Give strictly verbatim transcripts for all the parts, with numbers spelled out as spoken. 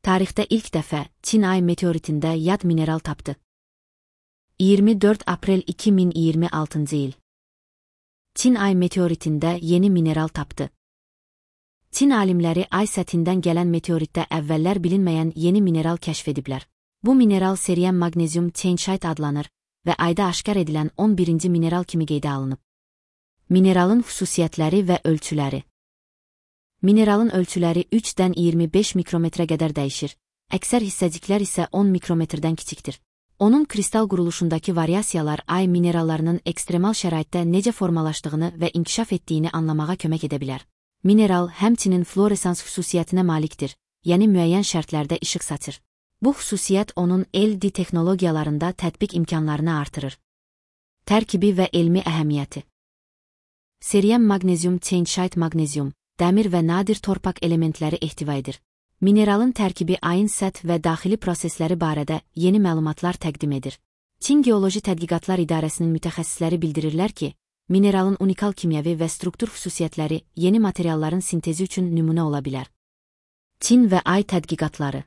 Tarixdə ilk dəfə Çin ay meteoritində yad mineral tapdı. iyirmi dörd aprel iki min iyirmi altıncı il. Çin ay meteoritində yeni mineral tapdı. Çin alimləri ay səthindən gələn meteoritdə əvvəllər bilinməyən yeni mineral kəşf ediblər. Bu mineral seriyən magnezium tianşite adlanır və ayda aşkar edilən on birinci mineral kimi qeydə alınıb. Mineralın xüsusiyyətləri və ölçüləri. Mineralın ölçüləri üçdən iyirmi beş mikrometrə qədər dəyişir, əksər hissəciklər isə on mikrometrdən kiçikdir. Onun kristal quruluşundakı variasiyalar ay minerallarının ekstremal şəraitdə necə formalaşdığını və inkişaf etdiyini anlamağa kömək edə bilər. Mineral həmçinin fluoresans xüsusiyyətinə malikdir, yəni müəyyən şərtlərdə işıq saçır. Bu xüsusiyyət onun L D texnologiyalarında tətbiq imkanlarını artırır. Tərkibi və elmi əhəmiyyəti. Seriyən magnezium tianşite magnezium, dəmir və nadir torpaq elementləri ehtiva edir. Mineralın tərkibi ayın səth və daxili prosesləri barədə yeni məlumatlar təqdim edir. Çin Geoloji Tədqiqatlar İdarəsinin mütəxəssisləri bildirirlər ki, mineralın unikal kimyəvi və struktur xüsusiyyətləri yeni materialların sintezi üçün nümunə ola bilər. Çin və ay tədqiqatları.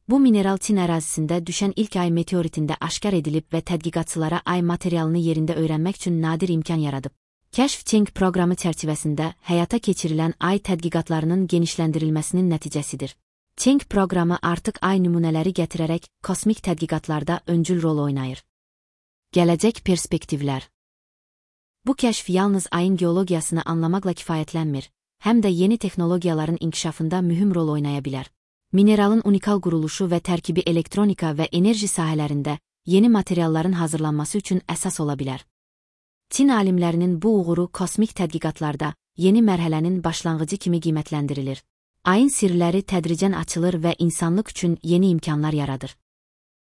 Bu mineral Çin ərazisində düşən ilk ay meteoritində aşkar edilib və tədqiqatçılara ay materialını yerində öyrənmək üçün nadir imkan yaradıb. Kəşf Çeng proqramı çərçivəsində həyata keçirilən ay tədqiqatlarının genişləndirilməsinin nəticəsidir. Çeng proqramı artıq ay nümunələri gətirərək kosmik tədqiqatlarda öncül rol oynayır. Gələcək perspektivlər. Bu kəşf yalnız ayın geologiyasını anlamaqla kifayətlənmir, həm də yeni texnologiyaların inkişafında mühüm rol oynaya bilər. Mineralın unikal quruluşu və tərkibi elektronika və enerji sahələrində yeni materialların hazırlanması üçün əsas ola bilər. Çin alimlərinin bu uğuru kosmik tədqiqatlarda yeni mərhələnin başlanğıcı kimi qiymətləndirilir. Ayın sirləri tədricən açılır və insanlıq üçün yeni imkanlar yaradır.